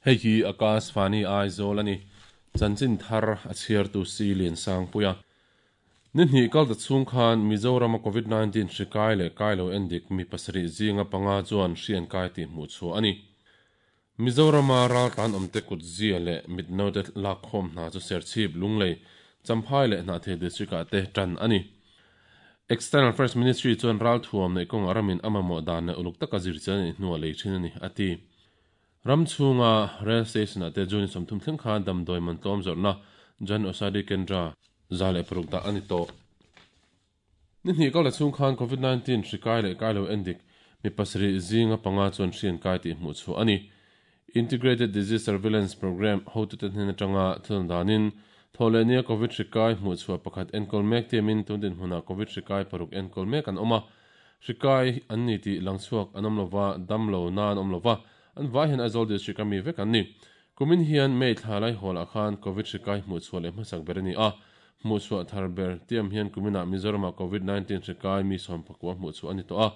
Hei hi Akashvani Aizawl a ni. Chanchin thar a chhiartu Si Liansangpuia. Ni hnih kal ta chhung khan Mizorama Covid 19 hri kai leh kai lo endik mi pasarih zinga panga chuan hri an kai tih hmuh chhuah a ni. Mizorama raltlan awmte kutzia leh mitnote lakkhawm hna chu Serchhip, Lunglei, Champhai leh Hnahthial District-ah te tan a ni. External Affairs Ministry chuan ralthuam neih kawngah ramin a mamawh dan leh uluk taka zirchian a nih hnuah lei thin a ni, a ti. Ram chhunga Rail Station-ah te June 30 thleng khan damdawi man tlawm zawrhna Jan Aushadhi Kendra 106 dah a ni tawh. Ni hnih kal la chhung khan Covid 19 hri kai leh kai lo endik mi pasarih zinga panga chuan hri an kai tih hmuh chhuah a ni. Integrated Disease Surveillance Programme hotute hnen atanga thil danin Thawhlehnia Covid hri kai hmuh chhuah pakhat enkawl mek tiamin tun dinhmunah Covid hri kai paruk enkawl mek an awm a. Hri kai an ni tih lang chhuak an awm lova, dam lo na an awm lova, an vai hian Aizawl District a mi vek an ni. Kumin hian May thla laihawl-ah khan Covid hri kai hmuh chhuah leh hmasak ber a ni a. Hmuh chhuah thar ber tiam hian kuminah Mizoramah Covid 19 hri kai mi sawmpakua hmuh chhuah a ni tawh a.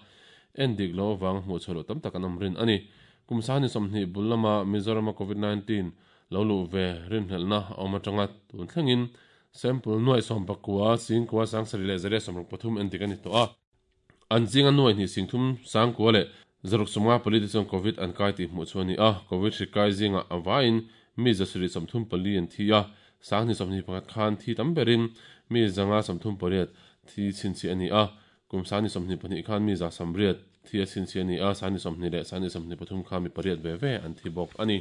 En dik lo avanga hmuh chhuah loh tam tak an awm rin a ni. Kum sahni 20 bul lama Mizorama Covid 19 lo luh ve rinhlelhna a awm atanga tun thlengin sample nuai 19 singkua sangsarih leh zaria 63 en dik a ni tawh a. An zinga nuai hnih singthum sangkua leh 654 te chuan Covid an kai tih hmuh chu a ni a. Covid hri kai zingah a vaiin mi 734 an thi a, sanghnih 21 khan thi tam berin mi 538 thi chhinchhiah a ni a. Kum sanghnih 22 khan mi 180 thi a chhinchhiah a ni a, sanghnih 20 leh sanghnih 23 khan mi pariat ve ve an thi bawk a ni.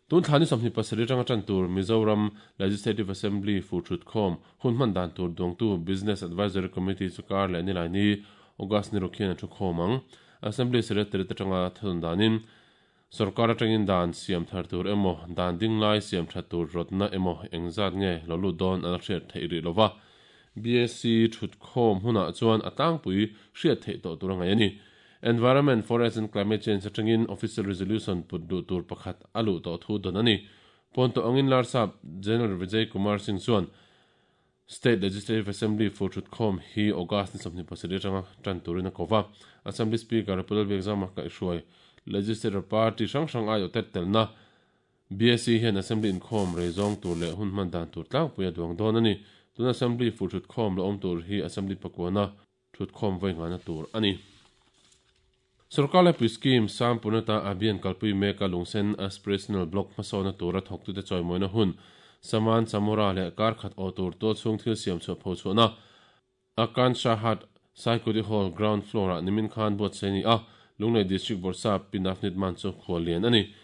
Tun thla ni 27 atanga tan tur Mizoram Legislative Assembly fu thutkhawm hun hman dan tur duangtu Business Advisory Committee chu kar leh nilai ni August ni ruk hian a thukhawm ang. Assembly Secretariat atanga thadun danin sorkar atangin dan siam thar tur emaw dan ding lai siam that tur rawtna emaw engzat nge lo lut dawn an hriat theih rih lova. BAC thutkhawm hunah chuan a tlangpui hriat theih tawh tur a ngaih a ni. Environment, Forest and Climate Change atangin Official Resolution put duh tur pakhat a luh tawh thu dawn a ni. Pawnto angin Larsap General Vijay Kumar Singh chuan State Legislative Assembly fur thutkhawm hi August ni 27 atanga tan turin a ko va. Assembly Speaker Pu Lalbiakzama kaihhruai Legislature Party hrang hrang aiawh tet telna BAC hian Assembly inkhawm rei zawng tur leh hun hman dan tur tlangpui a duang dawn a ni. Tuna Assembly fur thutkhawm la awm tur hi Assembly pakuana thutkhawm vawi nghahna tur a ni. Sorkar laipui scheme Sam Punata Abhiyan kalpui meka Lungsen Aspirational Block hmasawna tura thawktute chawimawina hun Saman Chamura leh kar khat aw tur tualchhung thil siam chhuah pho chhuahna Akansha Hat Saikudi Hall ground floor-ah nimin khan buatsaih a ni a, Lunglei District Bawrhsap Pi Navneet Mann chu khual lian a ni.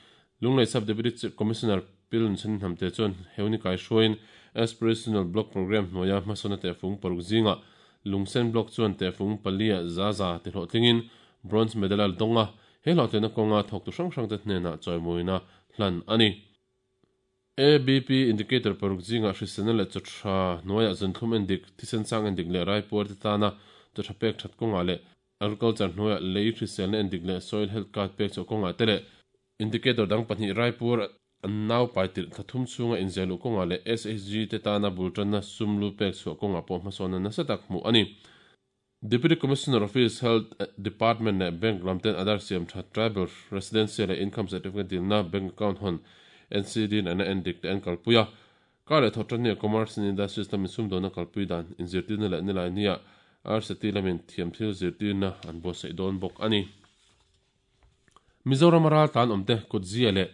Lunglei Sub Deputy Commissioner Pi Lunchhan Hnamte chuan Heuni kaihruaiin Aspirational Block Programme hnuaia hmasawna tehfung paruk zingah Lungsen Block chuan tehfung palia za za ti hlawhtlingin Bronze Medal a dawng a, he hlawhtlinna kawnga thawktu hrang hrangte hnenah chawimawina hlan a ni. ABP Indicator paruk zingah hriselna leh chaw tha hnuaiah zunthlum endik, thisen sang endik leh raipuar te tana chaw tha pek that kawngah leh Agriculture hnuaiah lei hriselna endik leh Soil Health Card pek chhuah kawngah te leh Indicator dang pahnih Raipur an nau pai tirh thla thum chhunga inziah luh kawngah leh SHG te tana bul tanna sum lu pek chhuah kawngah pawh hmasawnna nasa tak hmuh a ni. Deputy Commissioner Office, Health Department leh Bank lam ten Aadhaar siam that Tribal Residency leh Income Certificate dilna Bank Account hawn NCD in an a endik te an kalpui a. Kar leh thawh tan nia Commerce and Industries lamin sumdawnna kalpui dan inzirtirna leh nilai nia RCT lamin thiamthil zirtirna an buatsaih dawn bawk a ni. Mizorama raltlan awmte kutzia leh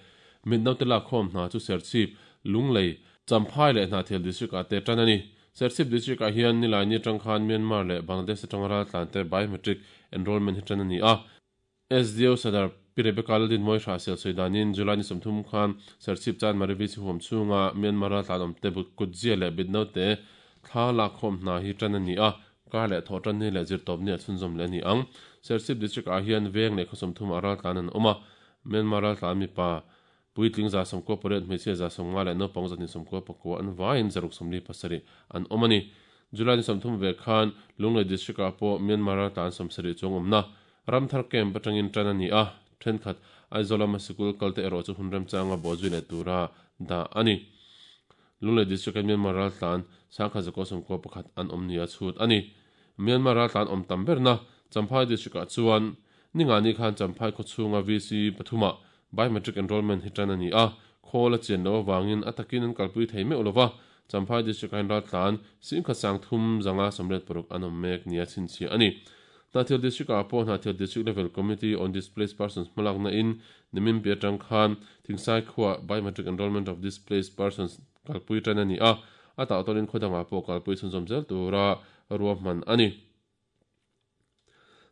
mitnaute lakkhawm hna chu Serchhip, Lunglei, Champhai leh Hnahthial District ah te tan a ni. Serchhip District ah hian nilai ni atang khan Myanmar leh Bangladesh atanga raltlan te biometric enrollment hi tan a ni a. SDO Sadar Pi Rebecca Laldinmawi Hrahsel sawi danin July ni 30 khan Serchhip Chanmari VC huam chhunga Myanmar raltlan awmte kutzia leh mitnaute thla lakkhawm hna hi tan a ni a. Kar leh thawh tan ni leh zirtawp ni a chhunzawm leh a ni ang. Serchhip District ah hian veng leh khaw 30 ah raltlan an awm a. Myanmar raltlan mipa puitling 98, hmeichhia 150 leh naupang 294 an vaiin 647 an awm a ni. July ni 30 ve khan Lunglei District ah pawh Myanmar raltlan 70 chuang awmna Ramthar Camp atangin tan a ni a, thenkhat Aizawl lama sikul kalte erawh chu hun remchanga bawhzui leh tura dah a ni. Lunglei District-a Myanmar raltlan 1191 an awm nia chhut a ni. Myanmar raltlan awm tam berna Champhai District-ah chuan ningani khan Champhai khaw chhunga VC pathumah Biometric Enrollment hi tan a ni a, khawl a chian loh avangin a takin an kalpui thei meuh lova, Champhai District-ah hian raltlan 1386 an awm mek nia chhinchhiah a ni. Hnahthial District-ah pawh Hnahthial District Level Committee on Displaced Persons hmalakna in nimin piah atang khan Thingsai khuaah Biometric Enrollment of Displaced Persons kalpui tan a ni a, a tahtawlin khaw dangah pawh kalpui chhunzawm zel tura ruahman a ni.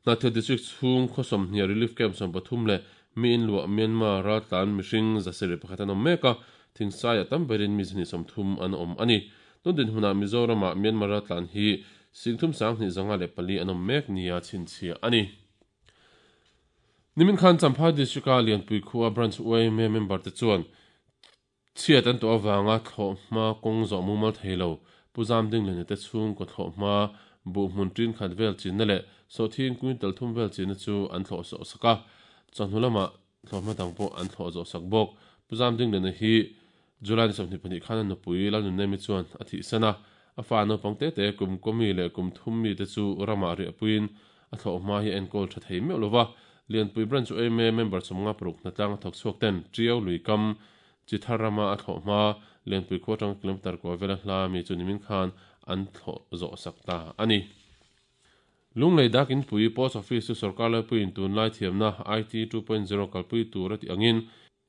Hnahthial District chhung khaw 20 Relief Camp 13 leh mi in luah Myanmar raltlan mihring 701 an awm mek a, Thingsaiah tam berin mi 230 an awm a ni. Tun dinhmunah Mizoramah Myanmar raltlan hi 32,504 an awm mek nia chhinchhiah a ni. Nimin khan Champhai District-a Lianpui khua Branch yma member te chuan Chhiat an tuah avanga thlawhhma kawng zawh mumal thei lo, Pu Zamdinglene te chhungkaw thlawhhma buh hmun tin khat vel chinna leh sawhthing quintal thum vel chinna chu an thlawh zawh sak a, chawhnu lamah thlawhhma dang pawh an thlawh zawh sak bawk. Pu Zamdinglene hi July ni 22 khan a nupui Lalnunnemi chuan a thihsan a, a fa naupang te te kum kaw mi leh kum thum mi te chu ramah riahpuiin a thlawhhma hi a enkawl tha thei meuh lova, Lianpui Branch yma member 56 hnatlang a thawk chhuak ten Tiau lui kam Chi thar rama a thlawh hma Lianpui khua atanga kilometre kua vela hla mi chu nimin khan an thlawh zawh sak ta a ni. Lunglei dak inpui Post Office chu sorkar laipuiin tunlai thiamna IT 2.0 kalpui tur a tih angin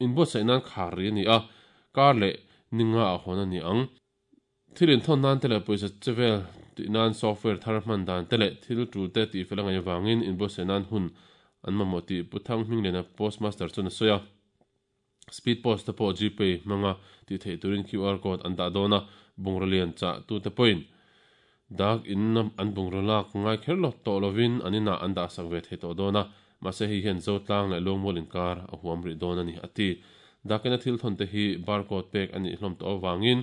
inbuatsaih nan khar ri a ni a, kar leh ninga ah hawn a ni ang. Thil inthawn nan te leh pawisa che vel tih nan software thar hman dan te leh thil tul te tihfel a ngaih avangin inbuatsaih nan hun an mamawh tih Pu Thang Hmingliana Postmaster chuan a sawi a. Speed post te pawh Gpay hmanga tih theih turin QR code an dah dawn a, bungraw lian chah tute pawhin dak in an bungraw lak ngai kher lo tawh lovin an inah an dah sak ve thei tawh dawn a, mahse hei hian Zotlang leh Luangmual inkar a huam rih dawn a ni, a ti. Dak ina thil thawn te hi barcode pek a nih hlawm tawh avangin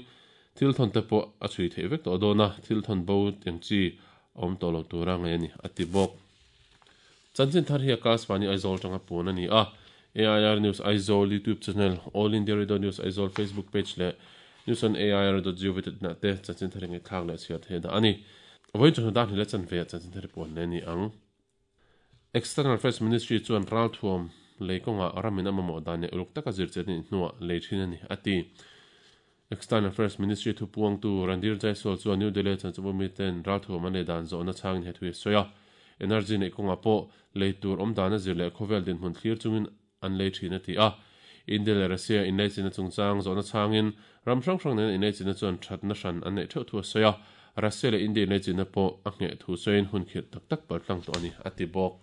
thil thawn te pawh a chhui theih vek tawh dawn a, thil thawn bo eng chi a awm tawh lo tura ngaih a ni, a ti bawk. Chanchin thar hi Akashvani Aizawl tanga puan a ni a, AIR News Aizawl YouTube channel, All India Radio News Aizawl Facebook page leh News on AIR dot gov dot in ah te chanchin thar hi ngaihthlak leh chhiar theih dah a ni. Vawiin chawhnu dan hnih leh chanve ah chanchin thar hi puan leh a ni ang. External Affairs Ministry chuan ralthuam lei kawngah ramin a mamawh dan leh uluk taka zirchiat a nih hnuah lei thin a ni, a ti. External Affairs Ministry thupuangtu Randhir Jaiswal chuan New Delhi chanchinbu miten ralthuam an lei dan zawhna chhangin he thu hi a sawi a. Energy neih kawngah pawh lei tur awm dana zir leh khawvel dinhmun thlir chungin an lei thin a ti a. India leh Russia inleichina chungchang zawhna chhangin ram hrang hrang nena inleichina chuan thatna hran an neih theuh thu a sawi a. Russia leh India inleichina pawh a ngheh thu sawiin hun khirh tak tak paltlang tawh a ni, a ti bawk.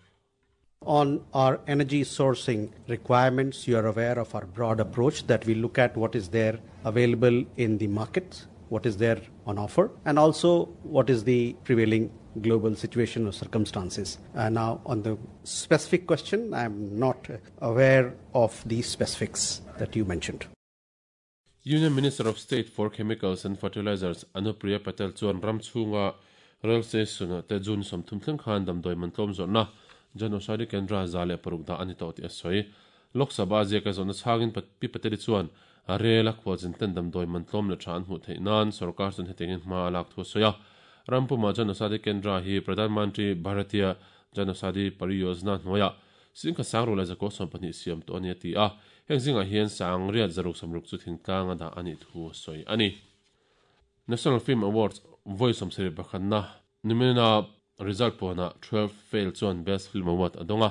On our energy sourcing requirements, you are aware of our broad approach that we look at what is there available in the markets, what is there on offer, and also what is the prevailing global situation or circumstances. Now, on the specific question, I'm not aware of the specifics that you mentioned. Union Minister of State for Chemicals and Fertilizers Anupriya Patel chuan ram chhunga rail station-ah te June 30 thleng khan damdawi man tlawm zawrhna Jan Aushadhi Kendra 106 dah a ni tawh tih a sawi. Lok Sabha ziaka zawhna chhangin Pi Patel-i chuan rel a khualzin ten damdawi man tlawm leh tha an hmuh theih nan sorkar chuan hetiangin hma a lak thu a sawi a. Ram pumah Jan Aushadhi Kendra hi Pradhan Mantri Bharatiya Jan Aushadhi Pariyojna hnuaiah Singkhat sang ruh leh zakua 12 siam tawh a ni a ti a, heng zingah hian sang riat zaruk 60 chu thingtlang a dah a nih thu a sawi a ni. National Film Awards vawi 71na nimina result puanah 12 Fail chuan Best Film Award a dawng a,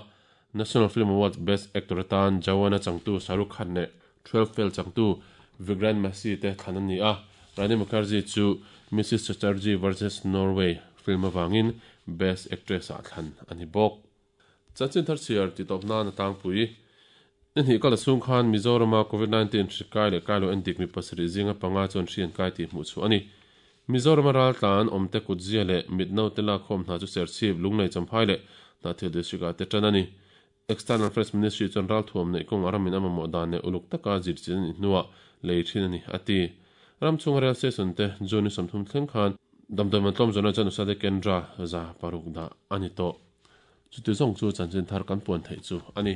National Film Awards Best Actor atan Jawan-a changtu Shah Rukh Khan leh 12 Fail changtu Vikrant Massey te thlan an ni a, Rani Mukherjee chu Mrs Chatterjee vs Norway film avangin Best Actress-ah thlan a ni bawk. Chanchin thar chhiar ti tawp nan a tlangpui. Ni hnih kal a chhung khan Mizorama Covid 19 hri kai leh kai lo endik mi pasarih zinga panga chuan hri an kai tih hmuh chhuah a ni. Mizorama raltlan awmte kutzia leh mitnaute lakkhawm hna chu Serchhip, Lunglei Champhai leh Hnahthial District ah te tan a ni. External Affairs Ministry chuan ralthuam neih kawng a ramin a mamawh dan leh uluk taka zirchin a nih hnuah lei thin a ni, a ti. Ram chhunga rail station te June ni 30 thleng khan damdawi man tlawm zawhna chuan Usade Kendra 600 dah a ni tawh. Chuti zawng chu chanchin thar kan puan theih chu a ni.